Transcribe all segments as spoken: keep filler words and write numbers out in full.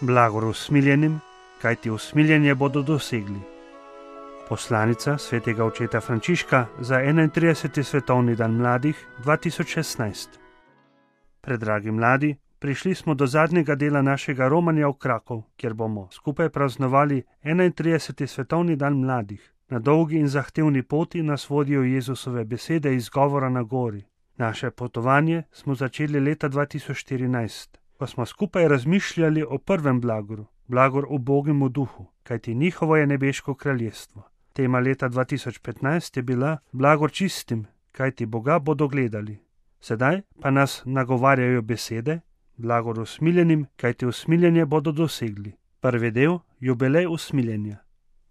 Blagor usmiljenim, kajti usmiljenje bodo dosegli. Poslanica svetega očeta Frančiška za enaintrideseti svetovni dan mladih dva tisoč šestnajst. Predragi mladi, prišli smo do zadnjega dela našega romanja v Krakov, kjer bomo skupaj praznovali enaintrideseti svetovni dan mladih. Na dolgi in zahtevni poti nas vodijo Jezusove besede iz govora na gori. Naše potovanje smo začeli leta dva tisoč štirinajst, ko smo skupaj razmišljali o prvem blagoru, blagor ubogemu duhu, kajti njihovo je nebeško kraljestvo. Tema leta dva tisoč petnajst je bila blagor čistim, kajti Boga bodo gledali. Sedaj pa nas nagovarjajo besede, blagor usmiljenim, kajti usmiljenje bodo dosegli. Prvi del, jubilej usmiljenja.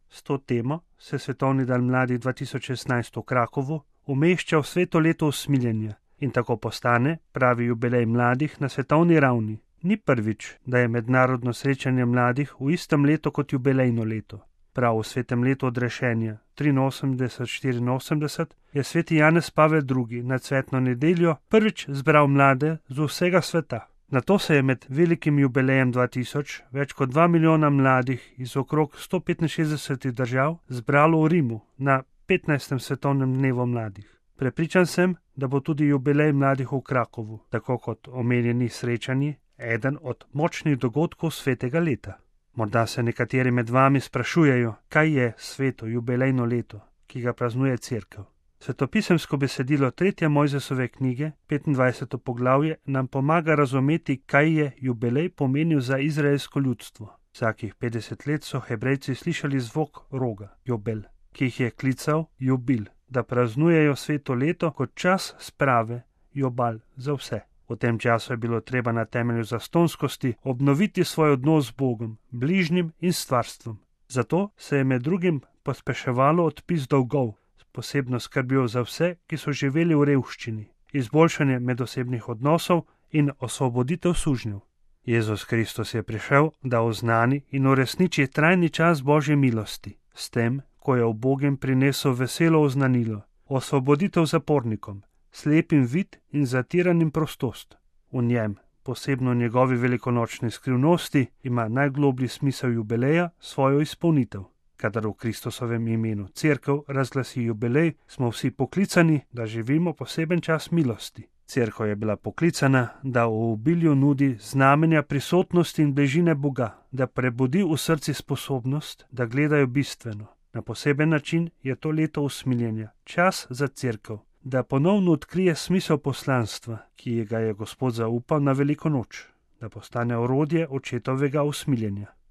S to temo se svetovni dan mladih dva tisoč šestnajst v Krakovu umešča v sveto leto usmiljenja in tako postane pravi jubilej mladih na svetovni ravni. Ni prvič, da je mednarodno srečanje mladih v istem letu kot jubilejno leto. Prav v svetem letu odrešenja triinosemdeset štiriinosemdeset je sveti Janez Pavel drugi na cvetno nedeljo prvič zbral mlade z vsega sveta. Nato se je med velikim jubilejem dva tisoč več kot dva milijona mladih iz okrog sto petinšestdesetih držav zbralo v Rimu na petnajstem svetovnem dnevu mladih. Prepričan sem, da bo tudi jubilej mladih v Krakovu, tako kot omenjeni srečanji, eden od močnih dogodkov svetega leta. Morda se nekateri med vami sprašujejo, kaj je sveto jubilejno leto, ki ga praznuje Cerkev. Svetopisemsko besedilo tretje Mojzesove knjige, petindvajseto poglavje, nam pomaga razumeti, kaj je jubilej pomenil za izraelsko ljudstvo. Vsakih petdeset let so Hebrejci slišali zvok roga, jobel, ki jih je klical jubil, da praznujejo sveto leto kot čas sprave, jobal za vse. V tem času je bilo treba na temelju zastonskosti obnoviti svoj odnos z Bogom, bližnjim in stvarstvom. Zato se je med drugim pospeševalo odpis dolgov, posebno skrbijo za vse, ki so živeli v revščini, izboljšanje medosebnih odnosov in osvoboditev sužnjev. Jezus Kristus je prišel, da oznani in uresniči trajni čas Božje milosti, s tem, ko je ubogim prinesel veselo oznanilo, osvoboditev zapornikom, slepim vid in zatiranim prostost. V njem, posebno v njegovi velikonočni skrivnosti, ima najgloblji smisel jubileja svojo izpolnitev. Kadar v Kristusovem imenu Cerkev razglasi jubilej, smo vsi poklicani, da živimo poseben čas milosti. Cerkev je bila poklicana, da v obilju nudi znamenja prisotnosti in bližine Boga, da prebudi v srci sposobnost, da gledajo bistveno. Na poseben način je to leto usmiljenja, čas za Cerkev, da ponovno odkrije smisel poslanstva, ki ga je Gospod zaupal na veliko noč, da postane orodje očetovega usmiljenja.